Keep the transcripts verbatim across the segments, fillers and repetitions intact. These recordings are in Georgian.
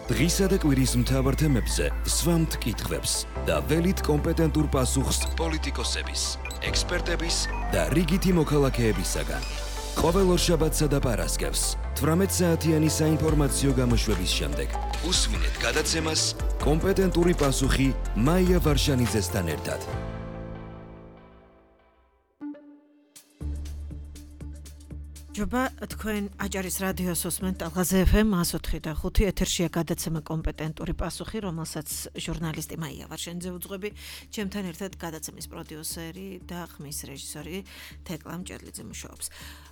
დღისა და კვირის მთავარ თემებზე სვამთ კითხვებს და ველით კომპეტენტურ პასუხს პოლიტიკოსების, ექსპერტების და რიგითი მოქალაქეებისაგან. ყოველ ორშაბათსა და პარასკევს თვრამეტ საათიანი საინფორმაციო გამოშვების შემდეგ უსმინეთ გადაცემას კომპეტენტური პასუხი მაია ვარშანიძესთან ერთად. ჯობა თქვენ აჭარის რადიოს უსმენთ ალღაზე ეფ ემ εκατო ოთხი და ხუთი ეთერშია გადაცემა კომპეტენტური პასუხი, რომელსაც ჟურნალისტი მაია ვარშანიძე უძღვები, ჩემთან ერთად გადაცემის პროდიუსერი და ხმის რეჟისორი თეკლა მჭედლიძე მუშაობს.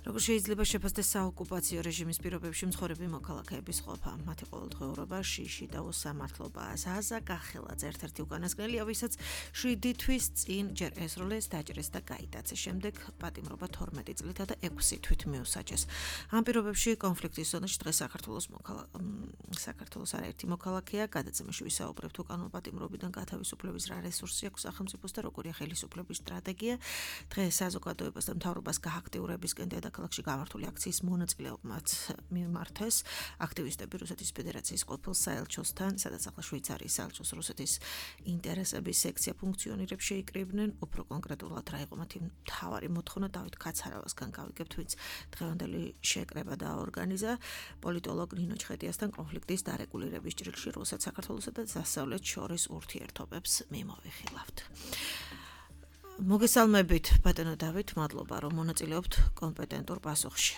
Როგორ შეიძლება შეფასდეს საოკუპაციო რეჟიმის პირობებში მცხოვრები მოქალაქეების ყოფა, მათი ყოველდღიურობა, შიში და უსამართლობა. ზაზა გახელაძე ერთ-ერთი უკანასკნელია, ვისაც შვიდი თვის წინ ჯერ ესროლეს, დაჭრეს და გაიტაცეს. შემდეგ პატიმრობა თორმეტი წლითა და ექვსი თვით მიუსაჯეს. ამ პირობებში კონფლიქტის ზონაში დღეს საქართველოს საქართველოს არაერთი მოქალაქეა, გადაცემაში ვისაუბრებთ უკანონო პატიმრობიდან გათავისუფლების რა რესურსი აქვს სახელმწიფოს და როგორია ხელისუფლების სტრატეგია. დღეს საზოგადოებას და მთავრობას გააქტიურებისკენ დედაქალაქში გამართული აქციის მონაწილეობმაც მიმართეს აქტივისტები რუსეთის ფედერაციის ყოფილ საელჩოსთან, სადაც ახლა შვეიცარიის საელჩოს რუსეთის ინტერესების სექცია ფუნქციონირებს შეიკრიბნენ. უფრო კონკრეტულად რა იყო მათი მთავარი მოთხოვნა, დავით კაცარავასგან გავიგებთ, ვინც დღევანდელი შეკრება დააორგანიზა პოლიტოლოგ ნინო ჩხეტიასთან კონფლიქტის დარეგულირების ჭრილში რუსეთ, საქართველოსა და დასავლეთს შორის ურთიერთობებს მიმოვიხილავთ. მოგესალმებით ბატონო დავით, მადლობა რომ მონაწილეობთ კომპეტენტურ პასუხში.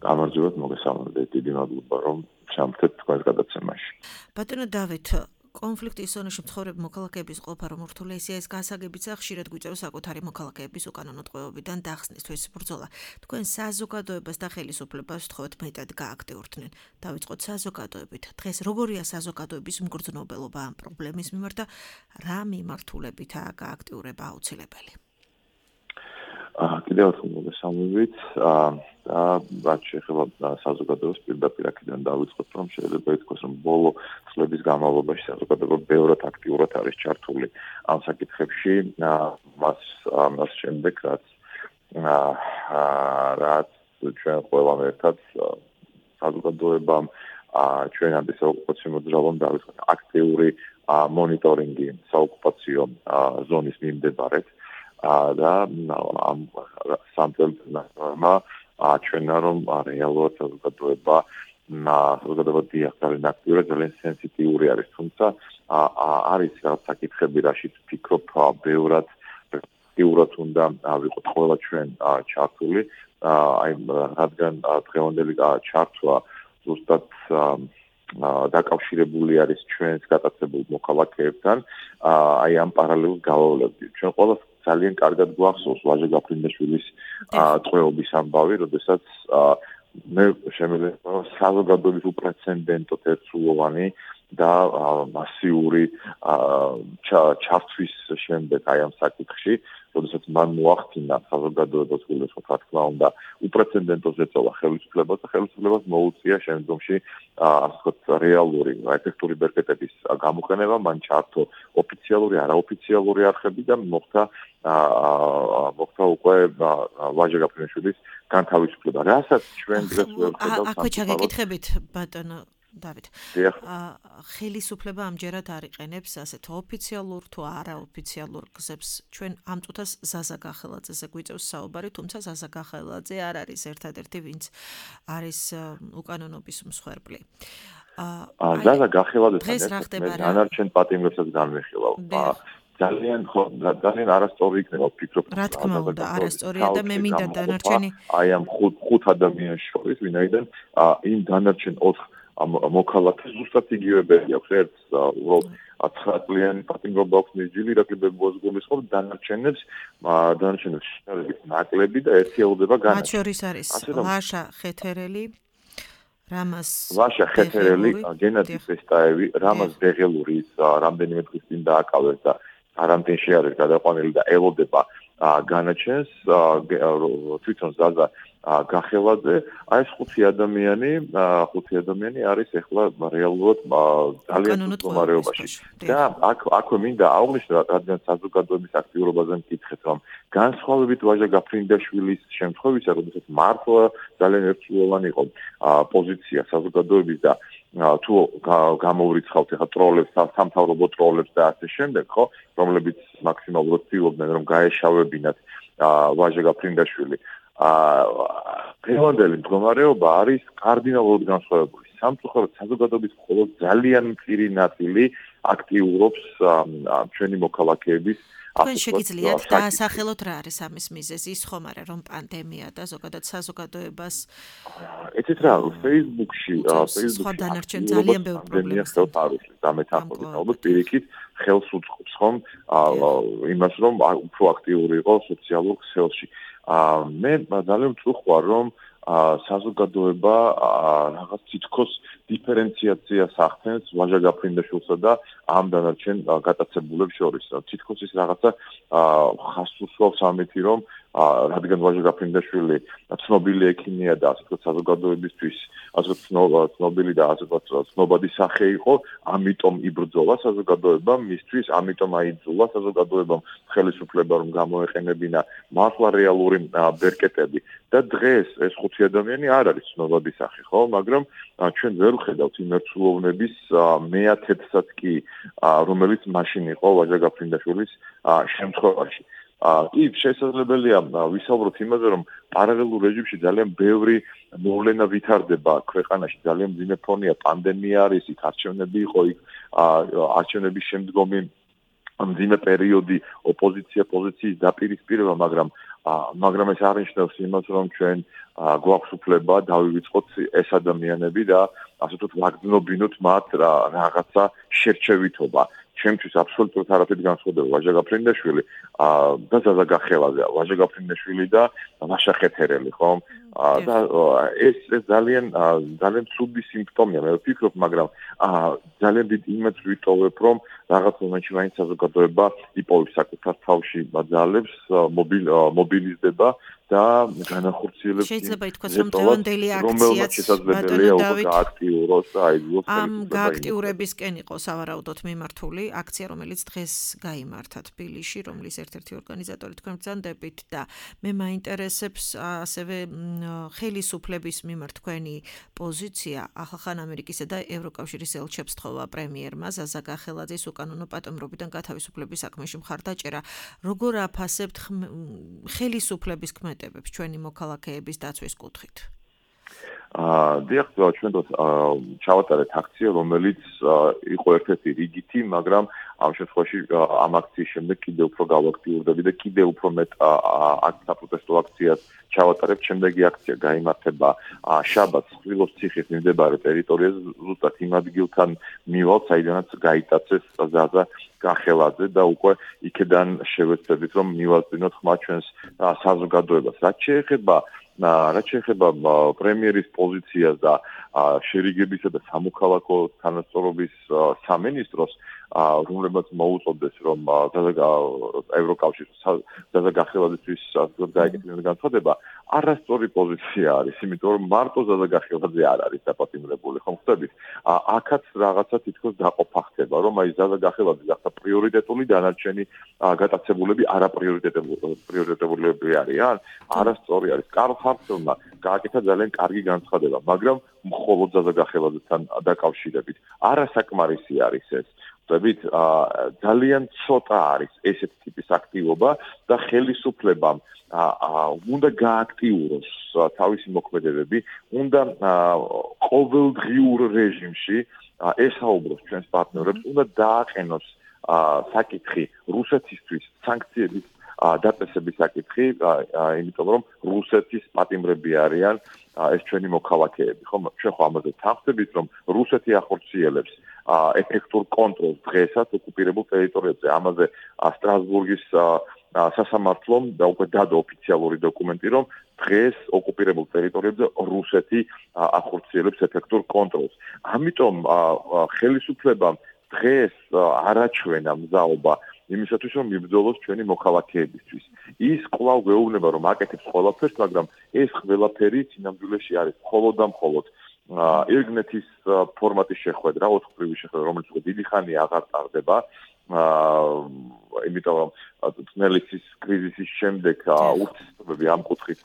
გამარჯობათ, მოგესალმებით, დიდი მადლობა რომ ჩამხდეთ თქვენს გადაცემაში. ბატონო დავით, კონფლიქტის ზონაში მცხოვრები მოქალაქეების ყოფა რომ რთულია, ისე ეს გასაგებიცა ხშირად გვიწევს საკუთარი მოქალაქეების უკანონო ტყვეობიდან დახსნისთვის ბრძოლა. თქვენ საზოგადოებას და ხელისუფლებას ვთხოვთ მეტად გააქტიურდნენ. დავიწყოთ საზოგადოებით. დღეს როგორია საზოგადოების მგრძნობელობა ამ პრობლემის მიმართ და რა მიმართულებითაა გააქტიურება აუცილებელი? კიდევ ერთხელ მოგესალმებით. და რაც შეეხება საზოგადოებას პირდაპირ აქედან დავიწყოთ, რომ შეიძლება ითქვას, რომ ბოლო წლების განმავლობაში საზოგადოება ბევრად აქტიურად არის ჩართული ამ საკითხებში, მას მას შემდეგ რაც რაც ჩვენ ყველამ ერთად საზოგადოებამ ჩვენ ამის საოკუპაციო მოძრაობამ დავიწყოთ აქტიური მონიტორინგი საოკუპაციო ზონის მიმდებარედ და ამ სამწელმა აჩვენა, რომ რეალურად საზოგადოება საზოგადოება დიახტარენ აქტიურად, ძალიან სენსიტიური არის, თუმცა არის რაღაც საკითხები, რაშიც ვფიქრობ, ბევრად აქტიურად უნდა ვიყოთ ყველა ჩვენ ჩართული, აი რადგან დღევანდელი ჩართვა ზუსტად დაკავშირებული არის ჩვენს გატაცებულ მოქალაქეებთან, აი ამ პარალელს გავავლევთ. ჩვენ ყველას ძალიან კარგად გვახსოვს ვაჟა გაფრინდაშვილის ტყვეობის ამბავი, როდესაც მე შემიძლია საზოგადოების უპრეცედენტო ერთსულოვანი და მასიური ჩართვის შემდეგ აი ამ საკითხში, როდესაც მან მოახდინა საზოგადოებას გულისხმობ, რა თქმა უნდა, უპრეცედენტო ზეწოლა ხელისუფლებას და ხელისუფლებას მოუწია შემდგომში ასე ვთქვათ რეალური ეფექტური ბერკეტების გამოყენება, მან ჩართო ოფიციალური, არაოფიციალური არხები და მოხდა მოხდა უკვე ვაჟა გაფრინდაშვილის განთავისუფლება. რასაც ჩვენ დღეს ვერ ხედავთ. აქვე ჩაგეკითხებით ბატონო დავით. ხელისუფლება ამჯერად არ იყენებს ასეთ ოფიციალურ თუ არაოფიციალურ გზებს. ჩვენ ამ წუთას ზაზა გახელაძეზე გვიწევს საუბარი, თუმცა ზაზა გახელაძე არ არის ერთადერთი, ვინც არის უკანონობის მსხვერპლი. ზაზა გახელაძესთან მე დანარჩენ პატიმრებსაც განვიხილავ. ძალიან ძალიან არასწორი იქნება ვფიქრობ. რა თქმა უნდა, არასწორია და მე მინდა დანარჩენი აი ამ ხუთ ხუთ ადამიანს შორის, ვინაიდან იმ დანარჩენ ოთხ მოქალაქეს ზუსტად იგივეები აქვს. ერთს უბრალოდ ცხრა წლიანი პატიმრობა აქვს მისჯილი, ირაკლიბებუას გულისხმობ, დანარჩენებს დანარჩენებს შედარებით ნაკლები და ერთი ელოდება განაჩენი. მათ შორის არის ლაშა ხეთერელი, რამაზ ლაშა ხეთერელი, გენადი ფესტაევი, რამაზ ბეღელური რამდენიმე დღის წინ დააკავეს და არამტენში არის გადაყვანილი და ელოდება განაჩენს თვითონ ზაზა გახელაძე. აი ეს ხუთი ადამიანი, ხუთი ადამიანი არის ახლა რეალურად ძალიან მდგომარეობაში. და აქ აქვე მინდა აღვნიშნო, რადგან საზოგადოების აქტიურობაზე მკითხეთ, რომ განსხვავებით ვაჟა გაფრინდაშვილის შემთხვევისა, როდესაც მართლა ძალიან ერთსულოვანი იყო პოზიცია საზოგადოების და თუ გამოვრიცხავთ ახლა ტროლებს, სამთავრობო ტროლებს და ასე შემდეგ, ხო, რომლებიც მაქსიმალურად ცდილობდნენ რომ გაეშავებინათ ვაჟა გაფრინდაშვილი. დღევანდელი მდგომარეობა არის კარდინალურად განსხვავებული. სამწუხაროდ საზოგადოების მხოლოდ ძალიან მწირი ნაწილი აქტიურობს ჩვენი მოქალაქეების თქვენ შეგიძლიათ დაასახელოთ რა არის ამის მიზეზი? ის ხომ არა რომ პანდემია და ზოგადად საზოგადოებას ეცეთ რა Facebook-ში სხვა დანარჩენ ძალიან ბევრ პრობლემას არის და მეტახოთი ალბათ პირიქით ხელს უწყობს ხომ იმას რომ უფრო აქტიური იყო სოციალურ ქსელში. მე ძალიან ვწუხარ რომ საზოგადოება რაღაც თითქოს დიფერენციაციას ახდენს ვაჟა გაფრინდაშვილსა და ამ დანარჩენ გატაცებულებს შორის. თითქოს ის რაღაცა ხაზს უსვავს ამითი რომ რადგან ვაჟა გაფრინდაშვილი ცნობილი ექიმია და ასე ვთქვათ საზოგადოებისთვის ასე ვთქვათ ცნობილი და ასე ვთქვათ ცნობადი სახე იყო, ამიტომ იბრძოლა საზოგადოება მისთვის, ამიტომ აიძულა საზოგადოებამ ხელისუფლება რომ გამოეყენებინა მართლა რეალური ბერკეტები და დღეს ეს ხუთი ადამიანი არ არის ცნობადი სახე, ხო, მაგრამ ჩვენ ვერ ვხედავთ იმ ერთსულოვნების მეათედსაც კი რომელიც მაშინ იყო ვაჟა გაფრინდაშვილის შემთხვევაში. კი, შესაძლებელია ვისაუბროთ იმაზე, რომ პარალელურ რეჟიმში ძალიან ბევრი მოვლენა ვითარდება ქვეყანაში, ძალიან მძიმე ფონია, პანდემია არის, იქ არჩევნები იყო, იქ არჩევნების შემდგომი მძიმე პერიოდი, ოპოზიცია პოზიციის დაპირისპირება, მაგრამ მაგრამ ეს არ ნიშნავს იმას, რომ ჩვენ გვაქვს უფლება დავივიწყოთ ეს ადამიანები და ასე ვთქვათ ვაგრძნობინოთ მათ რაღაცა შერჩევითობა. ჩემთვის აბსოლუტურად არაფერი განსხვავდება ვაჟა გაფრინდაშვილი და ზაზა გახელაძე, ვაჟა გაფრინდაშვილი და ვაშა ხეთერელი, ხო? და ეს ძალიან ძალიან ცუდი სიმპტომია, მე ვფიქრობ, მაგრამ ძალიან დიდ იმედს ვიტოვებ, რომ რაღაც მომენტში მაინც საზოგადოება იპოვებს საკუთარ თავში ძალებს, მობილიზდება და განახორციელებს შეიძლება ითქვას, რომ დღევანდელი აქციაც ბატონო დავით გააქტიუროს და აიძულოს ამ გააქტიურებისკენ იყო სავარაუდოდ მიმართული აქცია, რომელიც დღეს გაიმართა თბილისში, რომლის ერთ-ერთი ორგანიზატორი თქვენ ბრძანდებით და მე მაინტერესებს ასევე ხელისუფლების მიმართ თქვენი პოზიცია ახალ ამერიკისა და ევროკავშირის ელჩებს თხოვა პრემიერმა ზაზა გახელაძის უკანონო პატიმრობიდან გათავისუფლების საქმეში მხარდაჭერა. როგორ აფასებთ ხელისუფლების ქმედებებს ჩვენი მოქალაქეების დაცვის კუთხით? დიახ, ჩვენ ჩავატარეთ აქცია, რომელიც იყო ერთ-ერთი რიგითი, მაგრამ ამ შემთხვევაში ამ აქციის შემდეგ კიდევ უფრო გავაქტიურდები და კიდევ უფრო მეტ საპროტესტო აქციას ჩავატარებ. შემდეგი აქცია გაიმართება შაბათს ხვილოს ციხის მიმდებარე ტერიტორიაზე, ზუსტად იმ ადგილთან მივალ, საიდანაც გაიტაცეს ზაზა გახელაძე და უკვე იქედან შევეცდებით, რომ მივაწვინოთ ხმა ჩვენს საზოგადოებას. რაც შეეხება რაც შეეხება პრემიერის პოზიციას და შერიგებისა და სამოქალაქო თანასწორობის სამინისტროს, რომლებაც მოუწოდეს, რომ ევროკავშირის ზაზა გახელაძისთვის გაეკეთებინა განცხადება, არასწორი პოზიცია არის, იმიტომ რომ მარტო ზაზა გახელაძე არ არის დაპატიმრებული, ხომ ხვდებით? აქაც რაღაცა თითქოს დაყოფა ხდება, რომ აი ზაზა გახელაძე გახდა პრიორიტეტული, დანარჩენი გატაცებულები არაპრიორიტეტულები არიან, არასწორი არის. კარლ ჰარცელმა გააკეთა ძალიან კარგი განცხადება, მაგრამ მხოლოდ ზაზა გახელაძესთან დაკავშირებით. არასაკმარისი არის ეს. ხვდებით, ძალიან ცოტა არის ესეთ ტიპის აქტივობა და ხელისუფლებამ უნდა გააქტიუროს თავისი მოქმედებები, უნდა ყოველდღიურ რეჟიმში ესაუბროს ჩვენს პარტნიორებს, უნდა დააყენოს საკითხი რუსეთისთვის სანქციების დაწესების საკითხი, იმიტომ რომ რუსეთის პატიმრები არიან ეს ჩვენი მოქალაქეები, ხო? ჩვენ ხო ამაზე თავხდებით, რომ რუსეთი ახორციელებს ეფექტურ კონტროლს დღესაც ოკუპირებულ ტერიტორიებზე. ამაზე სტრასბურგის სასამართლომ და უკვე დადო ოფიციალური დოკუმენტი, რომ დღეს ოკუპირებულ ტერიტორიებზე რუსეთი ახორციელებს ეფექტურ კონტროლს. ამიტომ ხელისუფლებამ დღეს არაჩვენა მზაობა იმისათვის, რომ იბრძოლოს ჩვენი მოქალაქეებისთვის. ის კვლავ გვეუბნება, რომ აკეთებს ყველაფერს, მაგრამ ეს ყველაფერი სინამდვილეში არის მხოლოდ და მხოლოდ ირგნეთის ფორმატის შეხვედრა, ოთხკვრივი შეხვედრა, რომელიც უკვე დიდი ხანია აღარ ტარდება. იმიტომ რომ წნელისის კრიზისის შემდეგ ურთიერთობები ამ კუთხით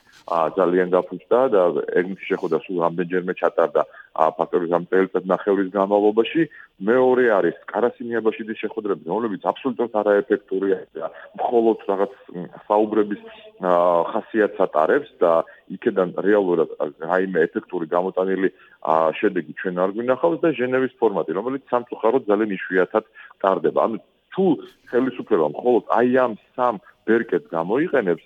ძალიან გაფუძდა და ირგნეთის შეხვედრა სულ რამდენჯერმე ჩატარდა ფაქტობრივად ამ წელიწად ნახევრის განმავლობაში. მეორე არის კარასინიაბაშიძის შეხვედრები, რომლებიც აბსოლუტურად არაეფექტურია და მხოლოდ რაღაც საუბრების ხასიათს ატარებს და იქედან რეალურად რაიმე ეფექტური გამოტანილი შედეგი ჩვენ არ გვინახავს და ჟენევის ფორმატი, რომელიც სამწუხაროდ ძალიან იშვიათად ტარდება. ანუ თუ ხელისუფლება მხოლოდ აი ამ სამ ბერკეტს გამოიყენებს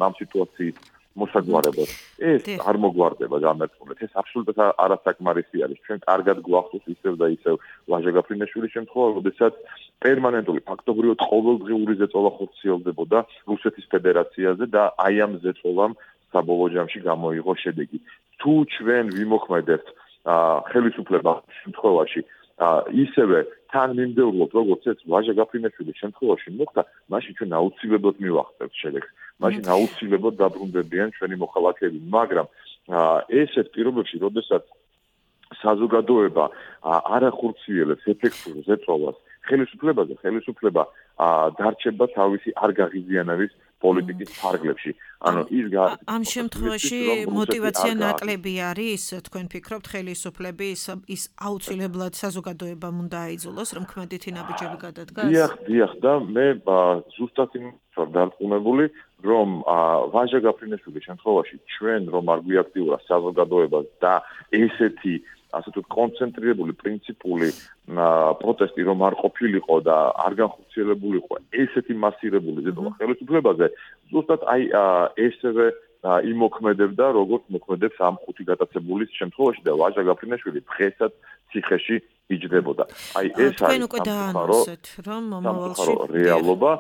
ამ სიტუაციის მოსაგვარებლად, ეს არ მოგვარდება გამერწმულეთ. ეს აბსოლუტურად არასაკმარისი არის. ჩვენ კარგად გვახსოვს ისევ და ისევ ლაჟა გაფრინაშვილის შემთხვევა, როდესაც პერმანენტული ფაქტობრივად ყოველდღიური ზეწოლა ხორციელდებოდა რუსეთის ფედერაციაზე და აი ამ ზეწოლამ საბოლოო ჯამში გამოიღო შედეგი. თუ ჩვენ ვიმოქმედებთ ხელისუფლებას შემთხვევაში ისევე თან მიმდევრულად, როგორც ეს ლაჟა გაფრინაშვილის შემთხვევაში მოხდა, მაშინ ჩვენ აუცილებლად მივახცევთ შედეგს. მაშინ აუცილებლად დაბრუნდებიან ჩვენი მოხალხეები, მაგრამ ესეთ პირობებში, როდესაც საზოგადოება არ ახორციელებს ეფექტურ ზეწოლას ხელისუფლებაზე, ხელისუფლება დარჩება თავისი არ გაღიზიანების პოლიტიკის ფარგლებში. ანუ ის ამ შემთხვევაში мотиваცია ნაკლები არის, თქვენ ფიქრობთ, ხელისუფლების ის აუცილებლად საზოგადოებამ უნდა აიძულოს, რომ ქმედითი ნაბიჯები გადადგას? დიახ, დიახ და მე ზუსტად იმ ვარ დარწმუნებული, რომ ლაჟა გაფრინაშვილის შემთხვევაში ჩვენ რომ არ გვიაქტიურა საზოგადოებას და ესეთი ასე თუ კონცენტრირებული პრინციპული პროტესტი რომ არ ყოფილიყო და არ განხორციელებულიყო ესეთი მასირებული ზეწოლა ხელისუფლებაზე, ზუსტად აი ესევე იმოქმედებდა, როგორც მოქმედებს ამ ხუთი გატაცებულის შემთხვევაში და ლაჟა გაფრინაშვილი დღესაც ციხეში იჯდებოდა. აი ეს თქვენ უკვე დაანონსეთ, რომ მომავალში რეალობა,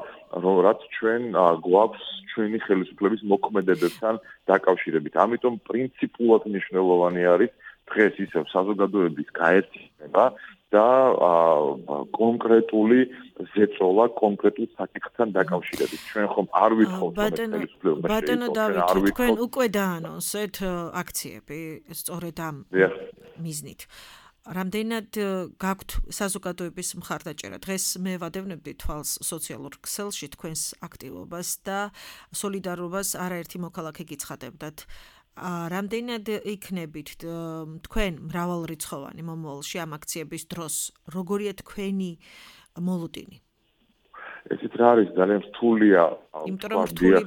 რომ რაც ჩვენ გვაქვს ჩვენი ხელისუფლების მოქმედებებთან დაკავშირებით. ამიტომ პრინციპულად მნიშვნელოვანი არის დღეს ისევ საზოგადოების გაერთიანება და კონკრეტული ზეწოლა კონკრეტულ საკითხთან დაკავშირებით. ჩვენ ხომ არ ვითხოვთ რომ ხელისუფლება ბატონო დავით, თქვენ უკვე დაანონსეთ აქციები სწორედ ამ მიზნით. რამდენად გაქვთ საზოგადოების მხარდაჭერა? დღეს მე ვადევნებდი თვალს სოციალურ ქსელში თქვენს აქტივობას და სოლიდარობას არაერთი მოქალაქე გიცხადებდათ. რამდენად იქნებით თქვენ მრავალრიცხოვანი მომავალში ამ აქციების დროს? როგორია თქვენი მოლოდინი? ესეთ რა არის ძალიან რთულია. იმიტომ რომ რთული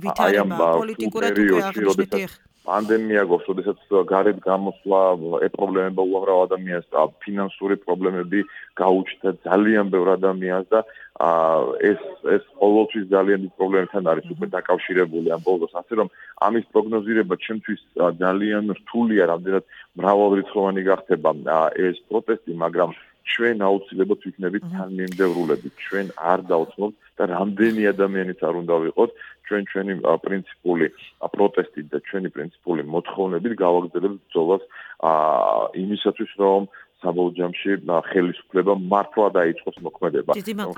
ვითარება პოლიტიკურად უკვე აღნიშნეთ. პანდემია გვაქვს, როდესაც გარეთ გამოსვლა ეპრობლემება უამრავ ადამიანს და ფინანსური პრობლემები გაუჩნდა ძალიან ბევრ ადამიანს და ეს ეს ყოველთვის ძალიან დიდ პრობლემებთან არის უკვე დაკავშირებული ამ ბოლოს. ასე რომ ამის პროგნოზირება ჩემთვის ძალიან რთულია, რამდენად მრავალრიცხოვანი გახდება ეს პროტესტი, მაგრამ ჩვენ აუცილებლად ვიქნებით თანმიმდევრულები. ჩვენ არ დავწმობთ და რამდენი ადამიანიც არ უნდა ვიყოთ, ჩვენ ჩვენი პრინციპული პროტესტით და ჩვენი პრინციპული მოთხოვნებით გავაგრძელებთ ბრძოლას იმისათვის, რომ საბოლოო ჯამში ხელისუფლება მართლა დაიწყოს მოქმედება.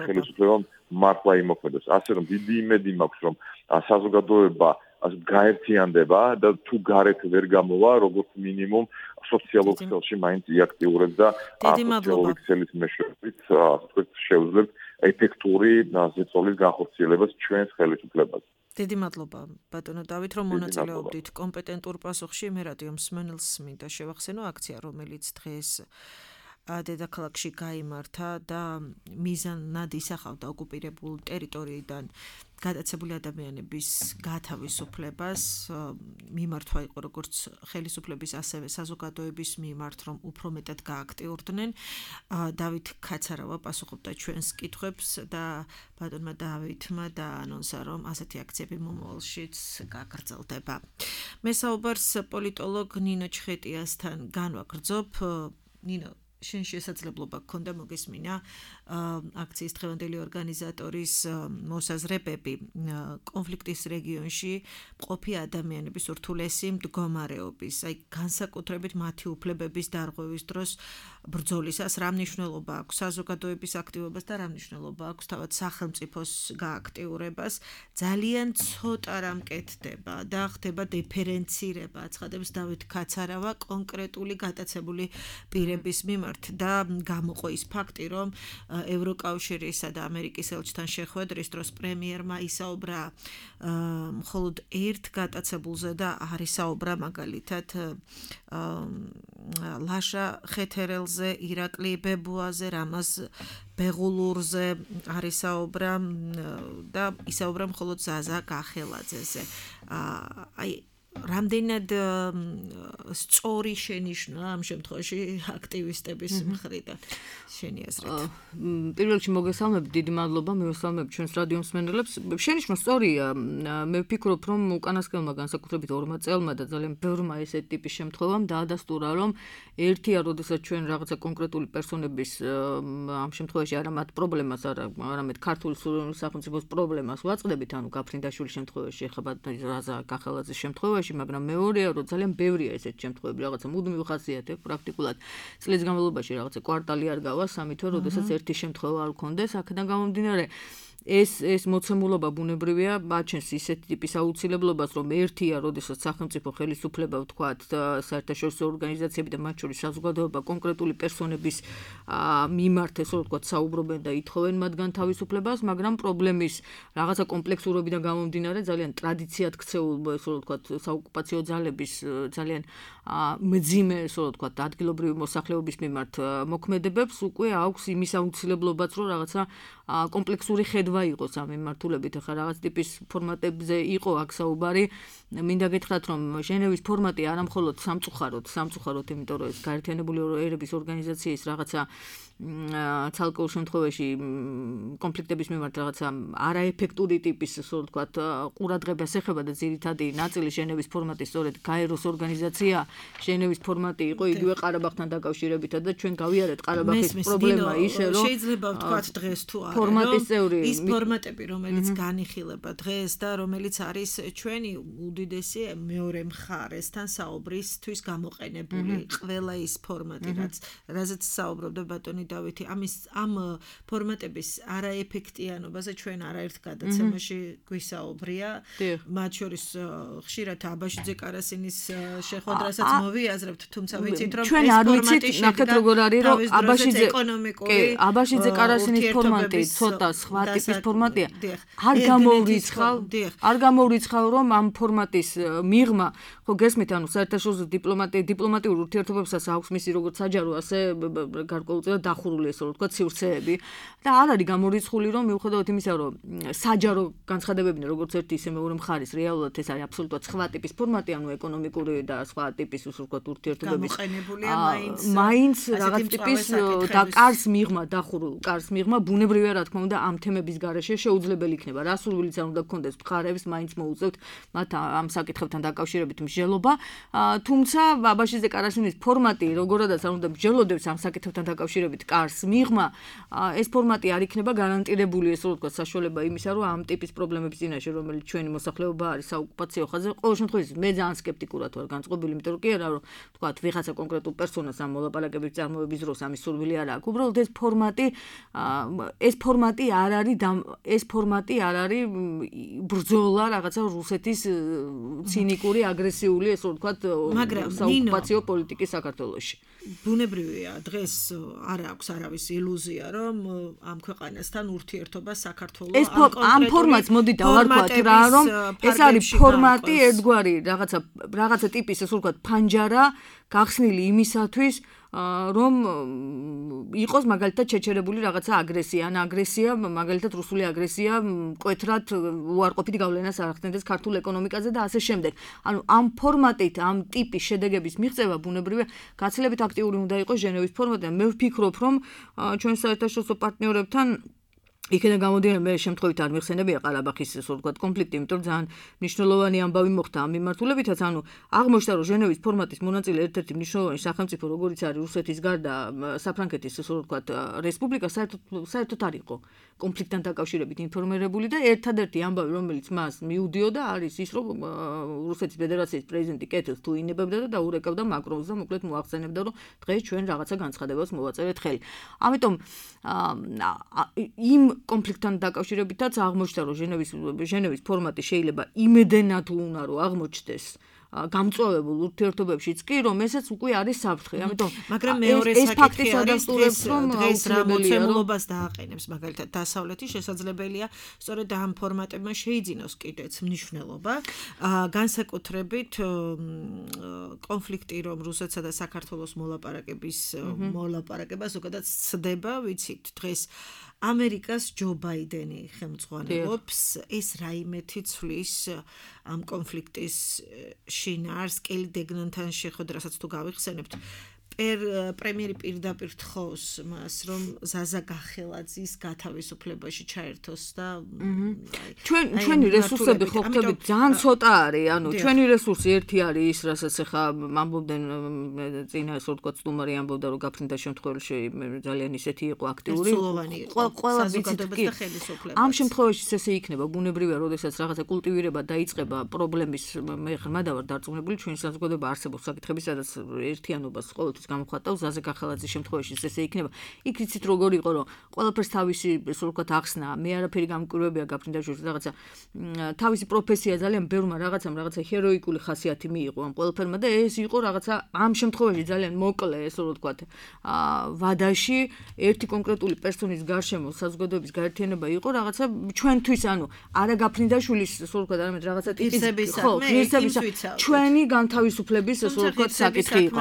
ხელისუფლება მართლა იმოქმედოს. ასე რომ დიდი იმედი მაქვს, რომ საზოგადოება გაერთიანდება და თუ გარეთ ვერ გამოვა, როგორც მინიმუმ სოციალურ ქსელში მაინც იაქტიურებს და სოციალური ქსელის მეშვეობით შეუძლებთ ეფექტური ზეწოლის განხორციელებას ჩვენს ხელისუფლებაზე. დიდი მადლობა ბატონო დავით, რომ მონაწილეობდით კომპეტენტურ პასუხში. მე რადიო მსმენელს მინდა შევახსენო აქცია, რომელიც დღეს დედაქალაქში გაიმართა და მიზანად ისახავდა ოკუპირებულ ტერიტორიიდან გადაცებული ადამიანების გათავისუფლებას. მიმართვა იყო როგორც ხელისუფლების, ასევე საზოგადოების მიმართ, რომ უფრო მეტად გააქტიურდნენ. დავით ქაცარავა პასუხობდა ჩვენს კითხვებს და ბატონმა დავითმა დაანონსა, რომ ასეთი აქციები მომავალშიც გაგრძელდება. მე საუბარს პოლიტოლოგ ნინო ჩხეტიასთან განვაგრძობ. ნინო, შენ შესაძლებლობა გქონდა მოგესმინა აქციის დღევანდელი ორგანიზატორის მოსაზრებები კონფლიქტის რეგიონში მყოფი ადამიანების ურთულესი მდგომარეობის, აი განსაკუთრებით მათი უფლებების დარღვევის დროს ბრძოლისას რა მნიშვნელობა აქვს საზოგადოების აქტივობას და რა მნიშვნელობა აქვს თავად სახელმწიფოს გააქტიურებას. ძალიან ცოტა რამ კეთდება და ხდება დიფერენცირება, აცხადებს დავით ქაცარავა კონკრეტული გატაცებული პირების მიმართ. მიმართ და გამოყო ის ფაქტი, რომ ევროკავშირისა და ამერიკის ელჩთან შეხვედრის დროს პრემიერმა ისაუბრა მხოლოდ ერთ გატაცებულზე და არ ისაუბრა მაგალითად ლაშა ხეთერელზე, ირაკლი ბებუაზე, რამაზ ბეღულურზე არ ისაუბრა და ისაუბრა მხოლოდ ზაზა გახელაძეზე. აი რამდენად სწორი შენიშვნა ამ შემთხვევაში აქტივისტების მხრიდან შენი აზრით? პირველ რიგში მოგესალმებით, დიდი მადლობა, მივესალმებით ჩვენს რადიო მსმენელებს. შენიშვნა სწორია, მე ვფიქრობ, რომ უკანასკნელმა განსაკუთრებით ორმა წელმა და ძალიან ბევრმა ესეთი ტიპის შემთხვევამ დაადასტურა, რომ ერთია, როდესაც ჩვენ რაღაცა კონკრეტული პერსონების ამ შემთხვევაში არა მათ პრობლემას, არამედ ქართული სუვერენული სახელმწიფოს პრობლემას ვაწყდებით, ანუ გაფრინდაშვილის შემთხვევაში, ეხება რაზა გახელაძის შემთხვევაში, მაგრამ მეორეა, რომ ძალიან ბევრია ესეთი შემთხვევები, რაღაცა მუდმივ ხასიათებს, პრაქტიკულად წლის განმავლობაში რაღაცა კვარტალი არ გავა, სამი თვე, როდესაც ერთი შემთხვევა არ გქონდეს, აქედან გამომდინარე ეს ეს მოცემულობა ბუნებრივია, აჩენს ისეთი ტიპის აუცილებლობას, რომ ერთია, როდესაც სახელმწიფო ხელისუფლება ვთქვათ, საერთაშორისო ორგანიზაციები და მათ შორის საზოგადოება კონკრეტული პერსონების მიმართ, ესე ვთქვათ, საუბრობენ და ითხოვენ მათგან თავისუფლებას, მაგრამ პრობლემის რაღაცა კომპლექსურობიდან გამომდინარე, ძალიან ტრადიციად ქცეულ, ესე ვთქვათ, საოკუპაციო ძალების ძალიან მძიმე, ესე ვთქვათ, ადგილობრივი მოსახლეობის მიმართ მოქმედებებს უკვე აქვს იმის აუცილებლობაც, რომ რაღაცა კომპლექსური ხედვა იყოს ამ მიმართულებით, ახლა რაღაც ტიპის ფორმატებზე იყო აქ საუბარი. მინდა გითხრათ, რომ ჟენევის ფორმატი არა მხოლოდ სამწუხაროდ, სამწუხაროდ, იმიტომ რომ ეს გაერთიანებული ერების ორგანიზაციის რაღაცა ცალკეულ შემთხვევაში კონფლიქტების მიმართ რაღაცა არაეფექტური ტიპის, ასე ვთქვათ, ყურადღებას ეხება და ძირითადი ნაწილი ჟენევის ფორმატის სწორედ გაეროს ორგანიზაცია, ჟენევის ფორმატი იყო იგივე ყარაბაღთან დაკავშირებითად და ჩვენ გავიარეთ ყარაბაღის პრობლემა ისე, რომ შეიძლება ვთქვათ დღეს თუ არა, ფორმატის წევრი ის ფორმატები, რომელიც განიხილება დღეს და რომელიც არის ჩვენი უდიდესი მეორე მხარესთან საუბრისთვის გამოყენებული ყველა ის ფორმატი, რაც რაზეც საუბრობდა ბატონი დავითი, ამის ამ ფორმატების არაეფექტიანობაზე ჩვენ არაერთ გადაცემაში გვისაუბრია. მათ შორის ხშირად აბაშიძე კარასინის შეხვედრასაც მოვიაზრებთ, თუმცა ვიცით, რომ ჩვენ არ ვიცით, ნახეთ როგორ არის, რომ აბაშიძე ეკონომიკური აბაშიძე კარასინის ფორმატი ცოტა სხვა ტიპის ფორმატია. არ გამოვრიცხავ, არ გამოვრიცხავ, რომ ამ ფორმატის მიღმა, ხო გესმით, ანუ საერთაშორისო დიპლომატია, დიპლომატიურ ურთიერთობებსაც აქვს მისი როგორც საჯარო, ასე გარკვეულწილად დახურული, ესე რომ ვთქვათ, სივრცეები და არ არის გამორიცხული, რომ მიუხედავად იმისა, რომ საჯარო განცხადებებია, როგორც ერთი ისე მეორე მხარის, რეალურად ეს არის აბსოლუტურად სხვა ტიპის ფორმატი, ანუ ეკონომიკური და სხვა ტიპის, ასე ვთქვათ, ურთიერთობების გამოყენებულია მაინც მაინც რაღაც ტიპის და კარს მიღმა, დახურულ კარს მიღმა ბუნებრივია, რა თქმა უნდა, ამ თემების გარეშე შეუძლებელი იქნება. რა სურვილიც არ უნდა გქონდეს მხარებს, მაინც მოუწევთ მათ ამ საკითხებთან დაკავშირებით მსჯელობა. თუმცა აბაშიძე კარასინის ფორმატი, როგორადაც არ უნდა მსჯელობდეს ამ საკითხებთან დაკავშირებით კარს მიღმა, ეს ფორმატი არ იქნება გარანტირებული, ესე ვთქვათ, საშუალება იმისა, რომ ამ ტიპის პრობლემების წინაშე, რომელიც ჩვენი მოსახლეობა არის საოკუპაციო ხაზზე, ყოველ შემთხვევაში მე ძალიან სკეპტიკურად ვარ განწყობილი, იმიტომ რომ კი არა, რომ ვთქვათ, ვიღაცა კონკრეტულ პერსონას ამ მოლაპარაკების წარმოების დროს ამის სურვილი არ აქვს. უბრალოდ ეს ფორმატი ეს ფორმატი არ არის ეს ფორმატი არ არის ბრძოლა რაღაცა რუსეთის ცინიკური, აგრესიული, ესე ვთქვათ, საოკუპაციო პოლიტიკის საქართველოში. ბუნებრივია, დღეს არ აქვს არავის ილუზია, რომ ამ ქვეყანასთან ურთიერთობა საქართველოს ამ ფორმატს მოდი დავარქვათ რა, რომ ეს არის ფორმატი ერთგვარი რაღაცა რაღაცა ტიპის, ესე ვთქვათ, ფანჯარა გახსნილი იმისათვის, რომ იყოს მაგალითად შეჩერებული რაღაცა აგრესია, ან აგრესია, მაგალითად რუსული აგრესია მკვეთრად უარყოფით გავლენას არ ახდენდეს ქართულ ეკონომიკაზე და ასე შემდეგ. ანუ ამ ფორმატით, ამ ტიპის შედეგების მიღწევა ბუნებრივია გაცილებით აქტიური უნდა იყოს ჟენევის ფორმატი. მე ვფიქრობ, რომ ჩვენ საერთაშორისო პარტნიორებთან იქიდან გამოდიან მე შემთხვევით არ მიხსენებია ყარაბაღის, ასე ვთქვათ, კონფლიქტი, იმიტომ რომ ძალიან მნიშვნელოვანი ამბავი მოხდა ამ მიმართულებითაც, ანუ აღმოჩნდა, რომ ჟენევის ფორმატის მონაწილე ერთ-ერთი მნიშვნელოვანი სახელმწიფო, როგორიც არის რუსეთის გარდა საფრანგეთის, ასე ვთქვათ, რესპუბლიკა, საერთოდ საერთოდ არ იყო კონფლიქტთან დაკავშირებით ინფორმირებული და ერთადერთი ამბავი, რომელიც მას მიუდიოდა, არის ის, რომ რუსეთის ფედერაციის პრეზიდენტი კეთილს თუ ინებებდა და დაურეკავდა მაკრონს და მოკლედ მოახსენებდა, რომ დღეს ჩვენ რაღაცა განცხადებას მოვაწერეთ ხელი. ამიტომ იმ კონფლიქტთან დაკავშირებითაც აღმოჩნდა, რომ ჟენევის ჟენევის ფორმატი შეიძლება იმედენად უნდა რომ აღმოჩნდეს გამწვავებულ ურთიერთობებშიც კი, რომ ესეც უკვე არის საფრთხე. ამიტომ მაგრამ მეორე ეს ფაქტი საკითხი არის სადასტურებს, რომ დღეს რა აუცილებელია, რომ მოცემულობას დააყენებს, მაგალითად დასავლეთი შესაძლებელია სწორედ ამ ფორმატებმა შეიძინოს კიდეც მნიშვნელობა. განსაკუთრებით კონფლიქტი, რომ რუსეთსა და საქართველოს მოლაპარაკების მოლაპარაკება ზოგადად სცდება, ვიცით, დღეს ამერიკას ჯო ბაიდენი ხელმძღვანელობს, ეს რაიმეთი ცვლის ამ კონფლიქტის შინაარს კელი დეგნანთან შეხვედრასაც თუ გავიხსენებთ, პრემიერი პირდაპირ თხოვს მას, რომ ზაზა გახელაძის გათავისუფლებაში ჩაერთოს და ჩვენ ჩვენი რესურსები ხო ხტებით ძალიან ცოტა არის, ანუ ჩვენი რესურსი ერთი არის ის, რასაც ახლა ამბობდნენ წინა ასე ვთქვათ სტუმარი ამბობდა, რომ გაფრინდა შემთხვევაში ძალიან ისეთი იყო აქტიური. ყველა ვიცით კი. ამ შემთხვევაში ესე იქნება ბუნებრივია, როდესაც რაღაცა კულტივირება დაიწყება პრობლემის მე ხმა და ვარ დარწმუნებული, ჩვენი საზოგადოება არსებობს საკითხები, სადაც ერთიანობას ყოველთვის გამოხატავს ზაზე გახელაძის შემთხვევაში ესე იქნება. იქ იცით როგორ იყო, რომ ყველაფერს თავისი ასე ვთქვათ ახსნა, მე არაფერი გამკვირვებია გაფრინდაშვილს რაღაცა თავისი პროფესია ძალიან ბევრმა რაღაცამ რაღაცა ჰეროიკული ხასიათი მიიღო ამ ყველაფერმა და ეს იყო რაღაცა ამ შემთხვევაში ძალიან მოკლე ესე ვთქვათ ვადაში ერთი კონკრეტული პერსონის გარშემო საზოგადოების გაერთიანება იყო რაღაცა ჩვენთვის, ანუ არა გაფრინდაშვილის ასე ვთქვათ, არამედ რაღაცა ტიპის ხო, ღირსების ჩვენი განთავისუფლების ასე ვთქვათ საკითხი იყო.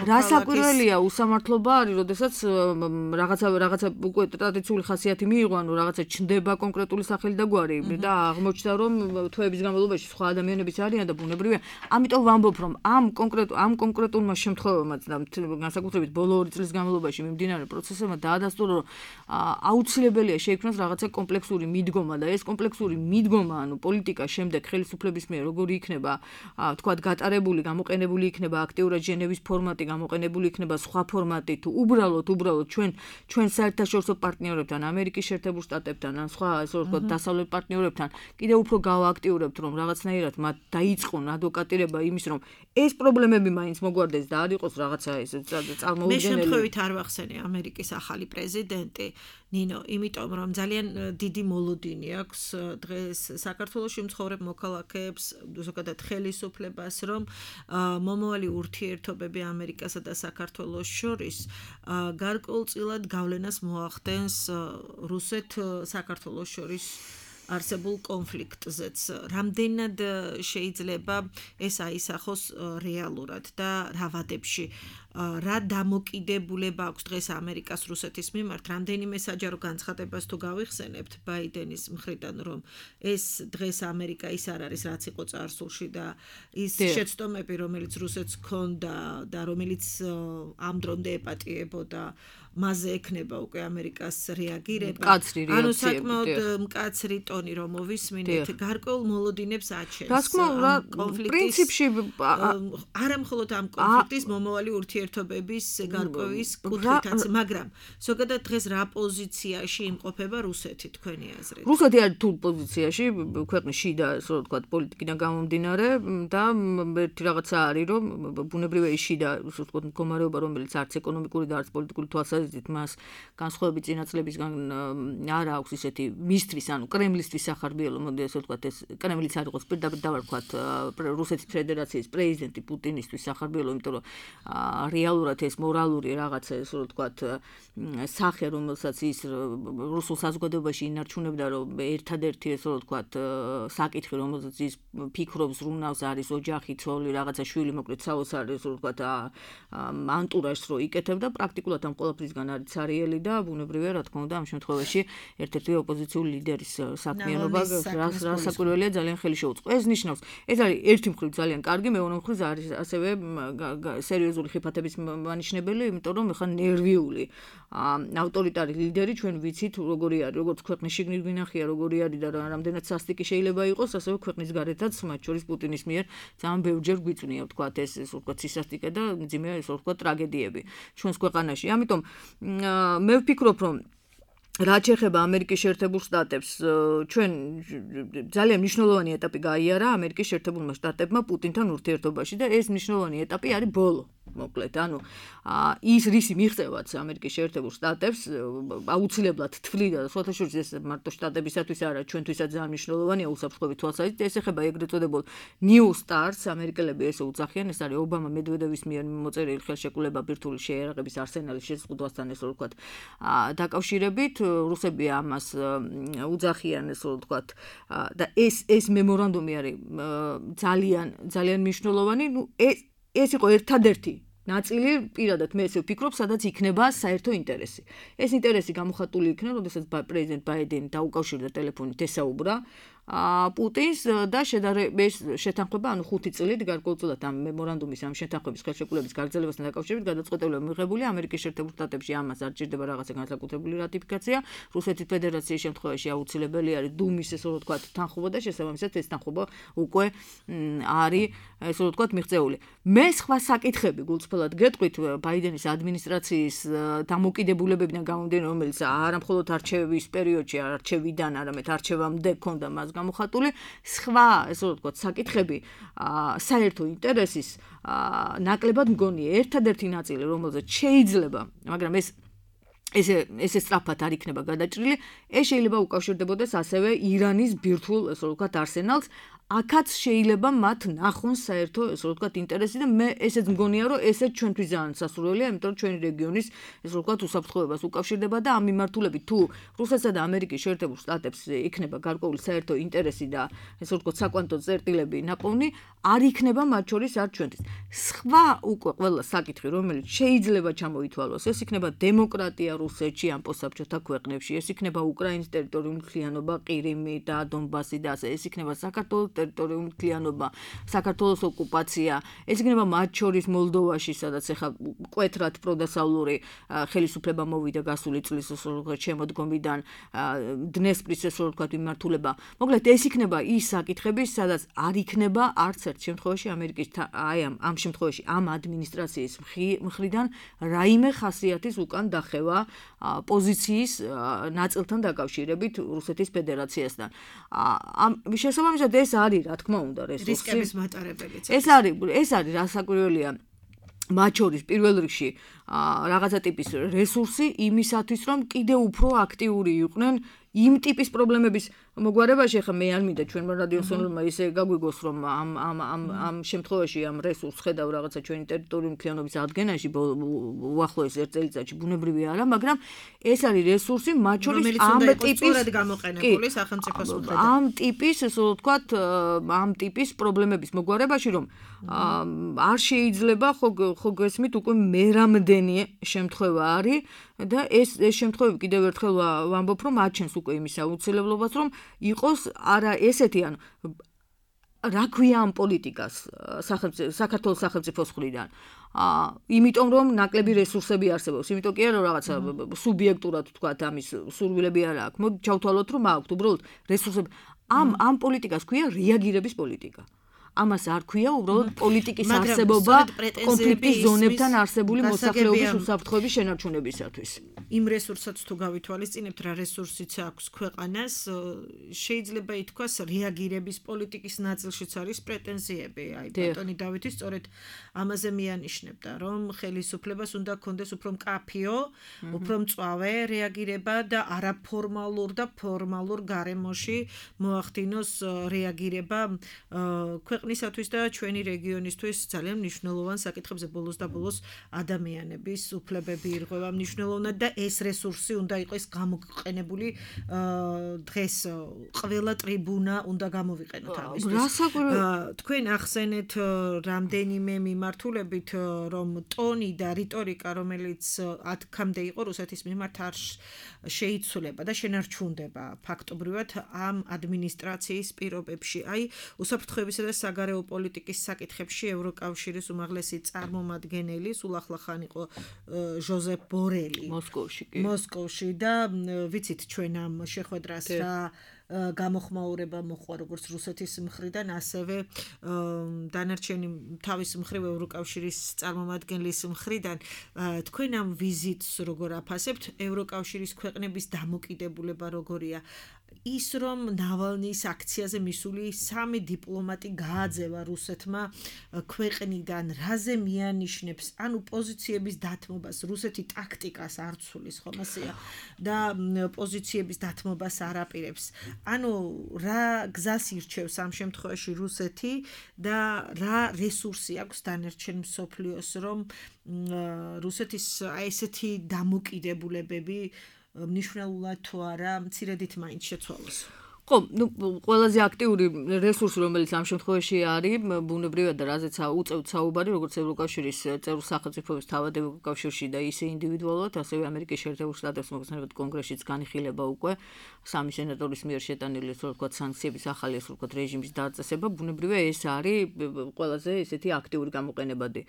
რა საკვირველია უსამართლობა არის, როდესაც რაღაცა რაღაცა უკვე ტრადიციული ხასიათი მიიღო, ანუ რაღაცა ჩნდება კონკრეტული სახელი და გვარი და აღმოჩნდა, რომ თვეების განმავლობაში სხვა ადამიანებიც არიან და ბუნებრივია. ამიტომ ვამბობ, რომ ამ კონკრეტულ ამ კონკრეტულმა შემთხვევებმაც და განსაკუთრებით ბოლო ორი წლის განმავლობაში მიმდინარე პროცესებმა დაადასტურა, რომ აუცილებელია შეიქმნას რაღაცა კომპლექსური მიდგომა და ეს კომპლექსური მიდგომა, ანუ პოლიტიკა შემდეგ ხელისუფლების მიერ როგორი იქნება, თქვათ, გატარებული, გამოყენებული იქნება აქტიურად ჟენევის ფორმატი, გამოყენებული იქნება სხვა ფორმატი, თუ უბრალოდ უბრალოდ ჩვენ ჩვენ საერთაშორისო პარტნიორებთან, ამერიკის შეერთებულ შტატებთან, ან სხვა ასე ვთქვათ, დასავლეთ პარტნიორებთან კიდევ უფრო გავააქტიურებთ, რომ რაღაცნაირად მათ დაიწყონ ადვოკატირება იმის, რომ ეს პრობლემები მაინც მოგვარდეს და არ იყოს რაღაცა ეს წარმოუდგენელი. მე შემთხვევით არ ვახსენე ამერიკის ახალი პრეზიდენტი ნინო, იმიტომ რომ ძალიან დიდი მოლოდინი აქვს დღეს საქართველოში მცხოვრებ მოქალაქეებს, ზოგადად ხელისუფლებას, რომ მომავალი ურთიერთობები ამერიკასა და საქართველოს შორის გარკვეულწილად გავლენას მოახდენს რუსეთ-საქართველოს შორის არსებულ კონფლიქტზეც. რამდენად შეიძლება ეს აისახოს რეალურად და რა ვადებში რა დამოკიდებულება აქვს დღეს ამერიკას რუსეთის მიმართ, რამდენიმე საჯარო განცხადებას თუ გავიხსენებთ ბაიდენის მხრიდან, რომ ეს დღეს ამერიკა ის არ არის, რაც იყო წარსულში და ის შეცდომები, რომელიც რუსეთს ჰქონდა და რომელიც ამ დრომდე ეპატიებოდა, მასზე ექნება უკვე ამერიკას რეაგირება. ანუ საკმაოდ მკაცრი ტონი რომ მოვისმინეთ, გარკვეულ მოლოდინებს აჩენს პრინციპში არა მხოლოდ ამ კონფლიქტის მომავალი ურთიერთობების გარკვევის კუთხითაც, მაგრამ ზოგადად დღეს რა პოზიციაში იმყოფება რუსეთი თქვენი აზრით? რუსეთი არის თუ პოზიციაში, ქვეყნის შიდა, ასე ვთქვათ, პოლიტიკიდან გამომდინარე და ერთი რაღაცა არის, რომ ბუნებრივია ის შიდა, ასე ვთქვათ, მდგომარეობა, რომელიც არც ეკონომიკური და არც პოლიტიკური თვალსაზრისით მას განსხვავებით წინაწლებისგან არ აქვს ისეთი მისთვის, ანუ კრემლისთვის სახარბიელო, მოდი ასე ვთქვათ, ეს კრემლიც არ იყოს პირდაპირ დავარქვათ რუსეთის ფედერაციის პრეზიდენტი პუტინისთვის სახარბიელო, იმიტომ რომ რეალურად ეს მორალური რაღაცა, ასე ვთქვათ, სახე, რომელსაც ის რუსულ საზოგადოებაში ინარჩუნებდა, რომ ერთადერთი, ასე ვთქვათ, საკითხი, რომელზეც ის ფიქრობს, რუნავს, არის ოჯახი, ცოლი, რაღაცა შვილი, მოკლედ საოცარი, ასე ვთქვათ, ანტურაჟს რო იკეთებდა, პრაქტიკულად ამ ყველაფრისგან არის ცარიელი და ბუნებრივია, რა თქმა უნდა, ამ შემთხვევაში ერთ-ერთი ოპოზიციური ლიდერის საქმიანობა, რა საკვირველია, ძალიან ხელი შეუწყო. ეს ნიშნავს, ეს არის ერთი მხრივ ძალიან კარგი, მეორე მხრივ არის ასევე სერიოზული ხიფათების მანიშნებელი, იმიტომ რომ ეხლა ნერვიული ავტორიტარი ლიდერი ჩვენ ვიცით როგორი არის, როგორც ქვეყნის შიგნით გვინახია, როგორი არის და რამდენად სასტიკი შეიძლება იყოს, ასევე ქვეყნის გარეთაც, მათ შორის პუტინის მიერ ძალიან ბევრჯერ გვიწვნია, ვთქვათ, ეს ეს ვთქვათ, სისასტიკე და მძიმე ეს ვთქვათ, ტრაგედიები ჩვენს ქვეყანაში. ამიტომ მე ვფიქრობ, რომ რაც ეხება ამერიკის შეერთებულ შტატებს, ჩვენ ძალიან მნიშვნელოვანი ეტაპი გაიარა ამერიკის შეერთებულმა შტატებმა პუტინთან ურთიერთობაში და ეს მნიშვნელოვანი ეტაპი არის ბოლო. მოკლედ, ანუ ის რისი მიღწევაც ამერიკის შეერთებულ შტატებს აუცილებლად თვლიდა, სხვათა შორის ეს მარტო შტატებისათვის არა, ჩვენთვისაც ძალიან მნიშვნელოვანია უსაფრთხოების თვალსაზრისით, ეს ეხება ეგრეთ წოდებულ New Stars, ამერიკელები ესე უძახიან, ეს არის ობამა მედვედევის მიერ მოწერილი ხელშეკრულება ბირთვული შეიარაღების არსენალის შეზღუდვასთან, ესე რომ ვთქვათ, დაკავშირებით, რუსები ამას უძახიან, ესე რომ ვთქვათ, და ეს ეს მემორანდუმი არის ძალიან ძალიან მნიშვნელოვანი, ნუ ეს ეს იყო ერთადერთი ნაწილი, პირადად მე ესე ვფიქრობ, სადაც იქნება საერთო ინტერესი. ეს ინტერესი გამოხატული იქნა, როდესაც პრეზიდენტ ბაიდენი დაუკავშირდა ტელეფონით ესაუბრა პუტინს და შედარების შეთანხმება, ანუ ხუთი წლით გარკვეულწილად ამ მემორანდუმის ამ შეთანხმების ხელშეკრულების გაგრძელებასთან დაკავშირებით გადაწყვეტილებაა მიღებული ამერიკის შეერთებულ შტატებში ამას არ ჭირდება რაღაცა განსაკუთრებული რატიფიკაცია. რუსეთის ფედერაციის შემთხვევაში აუცილებელი არის დუმის ესე რომ ვთქვათ თანხმობა და შესაბამისად ეს თანხმობა უკვე არის ესე რომ ვთქვათ მიღწეული. მე სხვა საკითხები გულწრფელად გეტყვით ბაიდენის ადმინისტრაციის დამოკიდებულებებიდან გამომდინარე, რომელიც არა მხოლოდ არჩევის პერიოდში, არჩევიდან, არამედ არჩევამდე ქონდა მას გამოხატული, სხვა ესე რომ ვთქვათ საკითხები საერთო ინტერესის ნაკლებად მგონია. ერთადერთი ნაწილი, რომელზეც შეიძლება, მაგრამ ეს ესე ესე სწრაფად არ იქნება გადაჭრილი, ეს შეიძლება უკავშირდებოდეს ასევე ირანის ბირთვულ ესე რომ ვთქვათ არსენალს. აქაც შეიძლება მათ ნახონ საერთო ესე რომ ვთქვათ ინტერესი და მე ესეც მგონია რომ ესეც ჩვენთვის ძალიან სასურველია, იმიტომ რომ ჩვენი რეგიონის ესე რომ ვთქვათ უსაფრთხოებას უკავშირდება და ამ მიმართულებით თუ რუსეთსა და ამერიკის შეერთებულ შტატებს იქნება გარკვეული საერთო ინტერესი და ესე რომ ვთქვათ საკვანტო წერტილები ნაპოვნი, არ იქნება მათ შორის არ ჩვენთვის. სხვა უკვე ყველა საკითხი, რომელიც შეიძლება ჩამოითვალოს, ეს იქნება დემოკრატია რუსეთში ან პოსტსაბჭოთა ქვეყნებში, ეს იქნება უკრაინის ტერიტორიული მთლიანობა, ყირიმი და დონბასი და ასე, ეს იქნება საქართველოს ტერიტორიული მთლიანობა, საქართველოს ოკუპაცია, ეს იქნება მათ შორის მოლდოვაში, სადაც ახლა მკვეთრად პროდასავლური ხელისუფლება მოვიდა გასული წლის შემოდგომიდან, დნესპრის ესე რომ ვთქვათ მიმართულება. მოკლედ ეს იქნება ის საკითხები, სადაც არ იქნება არც ერთ შემთხვევაში ამერიკის აი ამ ამ შემთხვევაში ამ ადმინისტრაციის მხრიდან რაიმე ხასიათის უკან დახევა პოზიციის ნაწილთან დაკავშირებით რუსეთის ფედერაციასთან. ამ შესაბამისად ეს არის რა თქმა უნდა რისკების მატარებელიც. ეს არის ეს არის რასაკვირველია მათ შორის პირველ რიგში რაღაცა ტიპის რესურსი იმისათვის რომ კიდევ უფრო აქტიური იყვნენ იმ ტიპის პრობლემების მოგვარებაში. ახლა მე არ მინდა ჩვენმა რადიოსონურმა ისე გაგვიგოს რომ ამ ამ ამ ამ შემთხვევაში ამ რესურსს ხედავ რაღაცა ჩვენი ტერიტორიული მთლიანობის ადგენაში უახლოეს ერთ წელიწადში ბუნებრივი არა, მაგრამ ეს არის რესურსი მათ შორის ამ ტიპის გამოყენებული სახელმწიფოს მხრიდან. ამ ტიპის ესე რომ ვთქვათ ამ ტიპის პრობლემების მოგვარებაში რომ არ შეიძლება ხო ხო გესმით უკვე მერამდენი შემთხვევა არის და ეს ეს შემთხვევები კიდევ ერთხელ ვამბობ რომ აჩენს უკვე იმის აუცილებლობას რომ იყოს არა ესეთი ანუ რა ქვია ამ პოლიტიკას საქართველოს სახელმწიფოს მხრიდან. იმიტომ რომ ნაკლები რესურსები არსებობს, იმიტომ კი არა რომ რაღაცა სუბიექტურად ვთქვათ ამის სურვილები არ აქვს. მოდი ჩავთვალოთ რომ აქვთ უბრალოდ რესურსები. ამ ამ პოლიტიკას ქვია რეაგირების პოლიტიკა. ამას არ ქვია უბრალოდ პოლიტიკის არსებობა კონფლიქტის ზონებთან არსებული მოსახლეობის უსაფრთხოების შენარჩუნებისათვის. იმ რესურსაც თუ გავითვალისწინებთ, რა რესურსიც აქვს ქვეყანას, შეიძლება ითქვას რეაგირების პოლიტიკის ნაწილშიც არის პრეტენზიები. აი ბატონი დავითი სწორედ ამაზე მიანიშნებდა, რომ ხელისუფლებას უნდა ქონდეს უფრო მკაფიო, უფრო მწვავე რეაგირება და არაფორმალურ და ფორმალურ გარემოში მოახდინოს რეაგირება ქვეყნისათვის და ჩვენი რეგიონისთვის ძალიან მნიშვნელოვან საკითხებზე ბოლოს და ბოლოს ადამიანების უფლებები ირღვევა მნიშვნელოვნად და ეს რესურსი უნდა იყოს გამოყენებული დღეს ყველა ტრიბუნა უნდა გამოვიყენოთ ამისთვის. თქვენ ახსენეთ რამდენიმე მიმართულებით რომ ტონი და რიტორიკა რომელიც აქამდე იყო რუსეთის მიმართ არ შეიცვლება და შენარჩუნდება ფაქტობრივად ამ ადმინისტრაციის პირობებში. აი უსაფრთხოებისა და საგარეო პოლიტიკის საკითხებში ევროკავშირის უმაღლესი წარმომადგენელი სულ ახლახან იყო ჟოზეფ ბორელი მოსკოვში კი მოსკოვში და ვიცით ჩვენ ამ შეხვედრას რა გამოხმაურება მოხდა როგორც რუსეთის მხრიდან, ასევე დანარჩენი თავის მხრივ ევროკავშირის წარმომადგენლის მხრიდან. თქვენ ამ ვიზიტს როგორ აფასებთ? ევროკავშირის ქვეყნების დამოკიდებულება როგორია? ის რომ ნავალნის აქციაზე მისული სამი დიპლომატი გააძევა რუსეთმა ქვეყნიდან, რაზე მიანიშნებს, ანუ პოზიციების დათმობას, რუსეთი ტაქტიკას არ ცulis, ხომ ასეა და პოზიციების დათმობას არ აპირებს. ანუ რა გზას ირჩევს ამ შემთხვევაში რუსეთი და რა რესურსი აქვს დანარჩენ მსოფლიოს, რომ რუსეთის აი ესეთი დამოკიდებულებები მნიშვნელოვნად თუ არა მცირედით მაინც შეცვალოს. ხო, ну, ყველაზე აქტიური რესურსი, რომელიც ამ შემთხვევაში არის, ბუნებრივად და რაზეც უწევთ საუბარი, როგორც ევროკავშირის წევრ სახელმწიფოების თავად ევროკავშირში და ისე ინდივიდუალურად, ასევე ამერიკის შეერთებულ შტატებს მოგესალმებით კონგრესშიც განიხილება უკვე სამი სენატორის მიერ შეტანილი, ასე ვთქვათ, სანქციების ახალი, ასე ვთქვათ, რეჟიმის დაწესება, ბუნებრივად ეს არის ყველაზე ესეთი აქტიური გამოყენებადი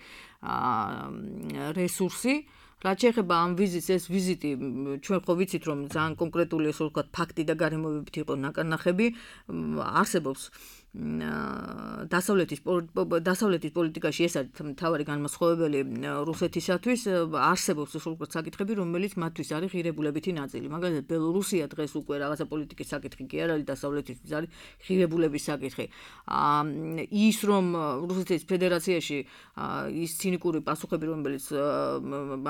რესურსი. რაც შეეხება ამ ვიზიტს, ეს ვიზიტი ჩვენ ხო ვიცით, რომ ძალიან კონკრეტული, ასე ვთქვათ, ფაქტი და გარემოებებით იყო ნაკარნახები, არსებობს დასავლეთის დასავლეთის პოლიტიკაში ეს არის მთავარი განმასხვავებელი რუსეთისათვის, არსებობს ასე ვთქვათ საკითხები, რომელიც მათთვის არის ღირებულებითი ნაწილი. მაგალითად, ბელორუსია დღეს უკვე რაღაცა პოლიტიკის საკითხი კი არ არის, დასავლეთისთვის არის ღირებულების საკითხი. ის რომ რუსეთის ფედერაციაში ის ცინიკური პასუხები, რომელიც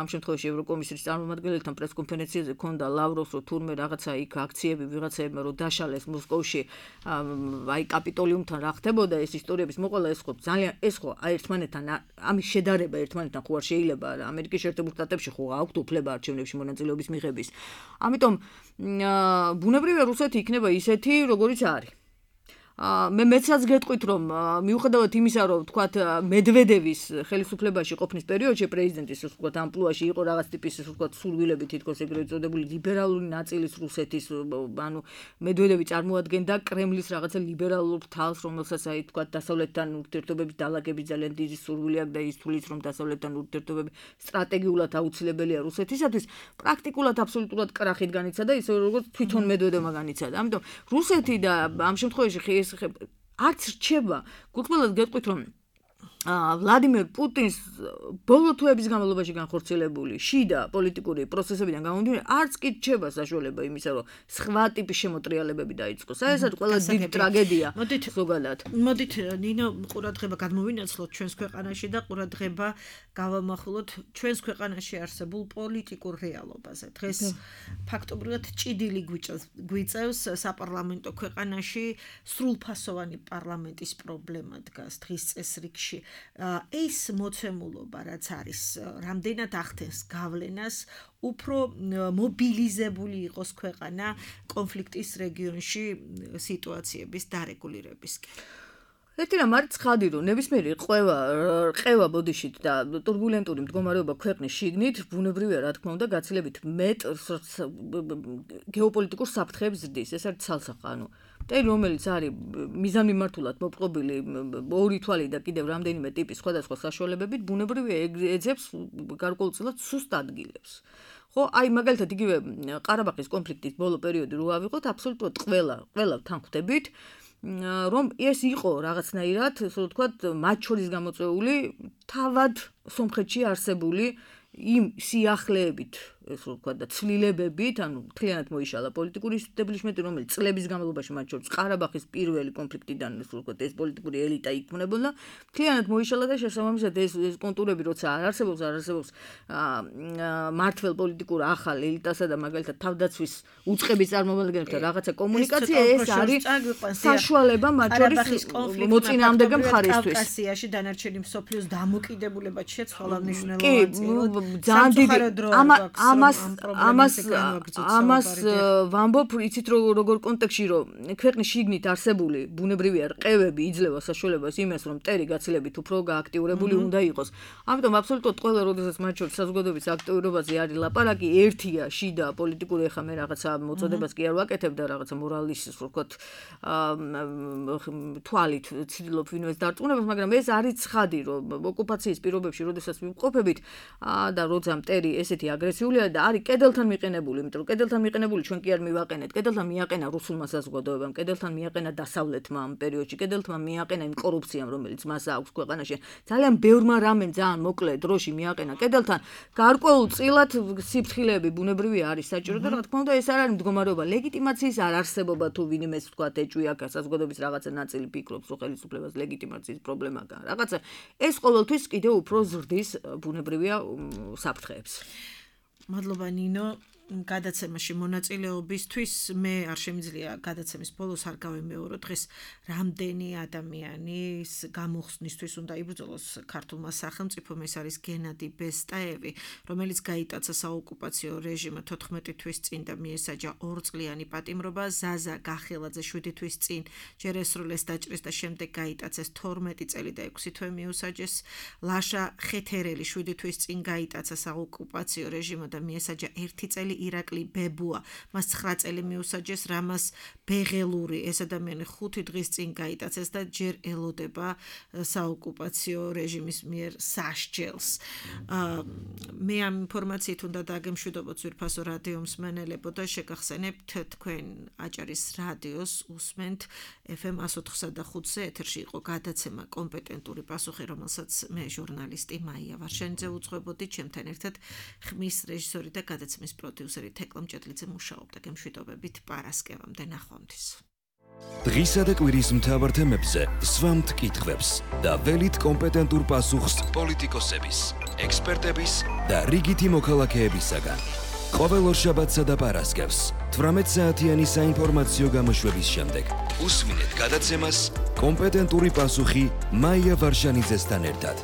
ამ შემთხვევაში ევროკომისიის წარმომადგენელთან პრესკონფერენციაზე ჰქონდა ლავროვს, რომ თურმე რაღაცა იქ აქციები ვიღაცაებმა რომ დაშალეს მოსკოვში, აი კაპიტოლი თან რა ხდებოდა ეს ისტორიების მოყოლა ეს ხო ძალიან ეს ხო ერთმანეთთან ამის შედარება ერთმანეთთან ხო არ შეიძლება ამერიკის შეერთებულ შტატებში ხო აქვთ უფლება არჩევნებში მონაწილეობის მიღების. ამიტომ ბუნებრივია რუსეთი იქნება ისეთი როგორიც არის. მე მეცაც გეტყვით რომ მიუხედავად იმისა რომ თქვათ მედვედევის ხელისუფლებაში ყოფნის პერიოდში პრეზიდენტის თქვათ ამპლუაში იყო რაღაც ტიპის თქვათ სურვილები თითქოს ეგრეთ წოდებული ლიბერალური ნაწილის რუსეთის ანუ მედვედევი წარმოადგენდა კრემლის რაღაცა ლიბერალურ თავს რომელსაც აი თქვათ დასავლეთთან ურთიერთობების დალაგების ძალიან დიდი სურვილი აქვს და ის თulis რომ დასავლეთთან ურთიერთობები სტრატეგიულად აუცილებელია რუსეთისათვის პრაქტიკულად აბსოლუტურად კრახით განიცადა ისე როგორც თვითონ მედვედევმა განიცადა. ამიტომ რუსეთი და ამ შემთხვევაში არც რჩება, გულწრფელად გეტყვით რომ ვლადიმერ პუტინს ბოლო თვეების განმავლობაში განხორციელებული შიდა პოლიტიკური პროცესებიდან გამომდინარე არც კი რჩება საშუალება იმისა, რომ სხვა ტიპის შემოტრიალებები დაიწყოს. ეს არის ყველა დიდი ტრაგედია ზოგადად. მოდით ნინო ყურადღება გადმოვინაცვლოთ ჩვენს ქვეყანაში და ყურადღება გავამახვილოთ ჩვენს ქვეყანაში არსებულ პოლიტიკურ რეალობაზე. დღეს ფაქტობრივად ჭიდილი გვიწევს საპარლამენტო ქვეყანაში სრულფასოვანი პარლამენტის პრობლემა დგას დღის წესრიგში. ეს მოცემულობა რაც არის რამდენად ახდენს გავლენას უფრო მობილიზებული იყოს ქვეყანა კონფლიქტის რეგიონში სიტუაციების დარეგულირებისკენ. ერთი რამ არის ცხადი რომ ნებისმიერი ყევა ყევა ბოდიშით და турბულენტური მდგომარეობა ქვეყნის შიგნით ბუნებრივია რა თქმა უნდა გაცილებით მეტ გეოპოლიტიკურ საფრთხეებს ზრდის. ეს არის ცალსახა ანუ მტერი რომელიც არის მიზანმიმართულად მოპყრობილი ორი თვალი და კიდევ რამდენიმე ტიპის სხვადასხვა საშუალებებით ბუნებრივია ეძებს გარკვეულწილად სუსტ ადგილებს. ხო, აი მაგალითად იგივე ყარაბაღის კონფლიქტის ბოლო პერიოდი რო ავიღოთ აბსოლუტურად ყველა ყველა თან ხვდებით რომ ეს იყო რაღაცნაირად, ასე ვთქვათ, მათ შორის გამოწვეული თავად სომხეთში არსებული იმ სიახლეებით, ესე ვთქვათ, და ცვლილებებით, ანუ მთლიანად მოიშალა პოლიტიკური ისტაბლიშმენტი, რომელიც წლების განმავლობაში მათ შორის ყარაბაღის პირველი კონფლიქტიდან, ესე ვთქვათ, ეს პოლიტიკური ელიტა იქმნებოდა, მთლიანად მოიშალა და შესაბამისად ეს ეს კონტურები როცა არ არსებობს, არ არსებობს მართლ პოლიტიკურ ახალ ელიტასა და მაგალითად თავდაცვის უწყების წარმომადგენელთა რაღაცა კომუნიკაცია, ეს არის საშუალება მათ შორის მოწინააღმდეგე მხარისთვის. კავკასიაში დანარჩენი მსოფლიოს დამოკიდებულებად შეცვალა მნიშვნელოვანი ძალიან დიდი ამას ამას ამას ვამბობ იცით როგორ კონტექსტში რომ ქვეყნის შიგნით არსებული ბუნებრივია რყევები იძლევა საშუალებას იმას რომ მტერი გაცილებით უფრო გააქტიურებული უნდა იყოს. ამიტომ აბსოლუტურად ყველა როდესაც მათ შორის საზოგადოების აქტიურობაზე არის ლაპარაკი ერთია შიდა პოლიტიკური ეხა მე რაღაცა მოწოდებას კი არ ვაკეთებ და რაღაცა მორალის ასე ვთქვათ თვალით ცდილობ ვინმეს დარწმუნებას, მაგრამ ეს არის ცხადი რომ ოკუპაციის პირობებში როდესაც ვიმყოფებით და როცა მტერი ესეთი აგრესიული სიძველე და არის კედელთან მიყენებული, იმიტომ რომ კედელთან მიყენებული ჩვენ კი არ მივაყენეთ. კედელთან მიაყენა რუსულმა საზოგადოებამ, კედელთან მიაყენა დასავლეთმა ამ პერიოდში, კედელთან მიაყენა იმ კორუფციამ, რომელიც მას აქვს ქვეყანაში. ძალიან ბევრმა რამემ ძალიან მოკლე დროში მიაყენა კედელთან. გარკვეულწილად სიფრთხილეები ბუნებრივი არის საჭირო და რა თქმა უნდა ეს არ არის მდგომარეობა ლეგიტიმაციის არ არსებობა თუ ვინმეს თქვა ეჭვი აქ საზოგადოების რაღაცა ნაწილი ფიქრობს რომ ხელისუფლებას ლეგიტიმაციის პრობლემა გაქვს. რაღაცა ეს ყოველთვის კიდევ უფრო ზრდის ბუნებრივია საფრთხეებს. მადლობა ნინო. გადაცემაში მონაწილეობისთვის მე არ შემიძლია გადაცემის ბოლოს არ გავემეორო დღეს რამდენი ადამიანის გამოხსნისთვის უნდა იბრძოლოს ქართულმა სახელმწიფომ. ეს არის გენადი ბესტაევი, რომელიც გაიტაცა საოკუპაციო რეჟიმმა თოთხმეტი თვის წინ და მიესაჯა ორწლიანი პატიმრობა. ზაზა გახელაძე შვიდი თვის წინ ჯერ ესრულეს დაჭრეს და შემდეგ გაიტაცეს თორმეტი წელი და ექვსი თვე მიუსაჯეს. ლაშა ხეთერელი შვიდი თვის წინ გაიტაცა საოკუპაციო რეჟიმმა და მიესაჯა ერთი წელი. ირაკლი ბებუა მას ცხრა წელი მიუსაჯეს. რამას ბეღელური ეს ადამიანი ხუთი დღის წინ გაიტაცეს და ჯერ ელოდება საოკუპაციო რეჟიმის მიერ სასჯელს. მე ამ ინფორმაციით უნდა დაგემშვიდობოთ ძვირფასო რადიო მსმენელებო და შეგახსენებთ თქვენ აჭარის რადიოს უსმენთ ეფ ემ one oh four point five-ზე ეთერში იყო გადაცემა კომპეტენტური პასუხი, რომელსაც მე ჟურნალისტი მაია ვარშენიძე უძღვებოდი, ჩემთან ერთად ხმის რეჟისორი და გადაცემის პროდიუსერი თეკლა მჭედლიძე მუშაობდა. გემშვიდობებით პარასკევამდე ნახვამდის. დღისა და კვირის მთავარ თემებზე სვამთ კითხვებს და ველით კომპეტენტურ პასუხს პოლიტიკოსების, ექსპერტების და რიგითი მოქალაქეებისაგან. ყოველ ორშაბათსა და პარასკევს თვრამეტ საათიანი საინფორმაციო გამოშვების შემდეგ უსმინეთ გადაცემას კომპეტენტური პასუხი მაია ვარშანიძესთან ერთად.